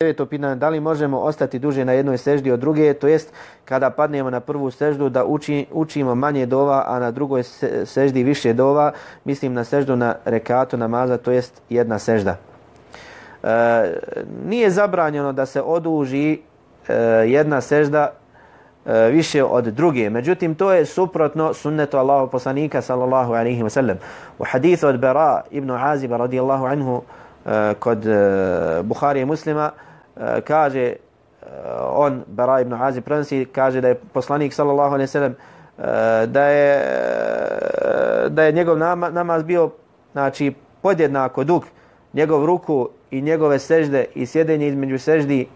Deveto pitanje, da li možemo ostati duže na jednoj seždi od druge, to jest kada padnemo na prvu seždu da učimo manje dova, a na drugoj seždi više dova, mislim na seždu na rekatu namaza, to jest jedna sežda. Nije zabranjeno da se oduži jedna sežda više od druge. Međutim, to je suprotno sunnetu Allahov poslanika sallallahu alejhi ve sellem. U hadithu od Bara ibn Aziba radijallahu anhu kod Buhari i Muslima kaže on, Bara ibn Azib prenosi, kaže da je poslanik sallallahu alejhi ve sellem da je njegov namaz bio znači podjednako dug, njegov ruku i njegove sežde i sjedenje između seždi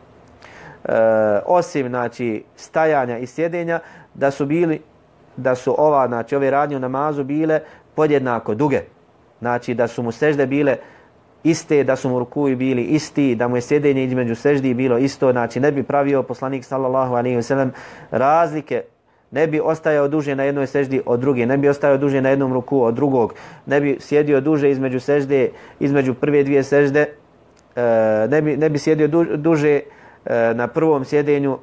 osim znači stajanja i sjedenja da su ove radnje u namazu bile podjednako duge. Znači da su mu sežde bile iste, da su mu rukuji bili isti, da mu je sjedenje između seždi bilo isto, znači ne bi pravio poslanik sallallahu alejhi ve sellem razlike, ne bi ostajao duže na jednoj seždi od druge, ne bi ostajao duže na jednom ruku od drugog, ne bi sjedio duže između sežde, između prve dvije sežde, ne bi sjedio duže na prvom sjedenju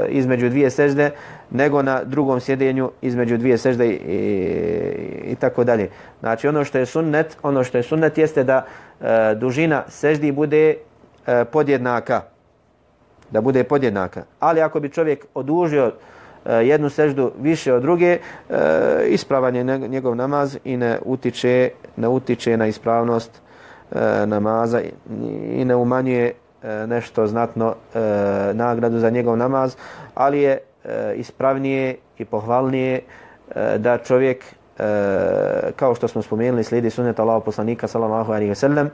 između dvije sežde nego na drugom sjedenju između dvije sežde i tako dalje. Znači ono što je sunnet jeste da dužina seždi bude podjednaka. Da bude podjednaka. Ali ako bi čovjek odužio jednu seždu više od druge, ispravan je njegov namaz i ne utiče na ispravnost namaza i ne umanjuje nešto znatno nagradu za njegov namaz, ali je ispravnije i pohvalnije da čovjek, kao što smo spomenuli, slijedi sunnet Allahov poslanika sallallahu alejhi ve sellem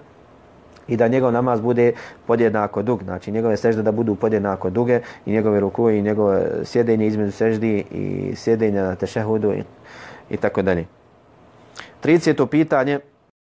i da njegov namaz bude podjednako dug. Znači njegove sežde da budu podjednako duge i njegove ruku i njegovo sjedenje između seždi i sjedenja na tešehudu i tako dalje. 30. pitanje.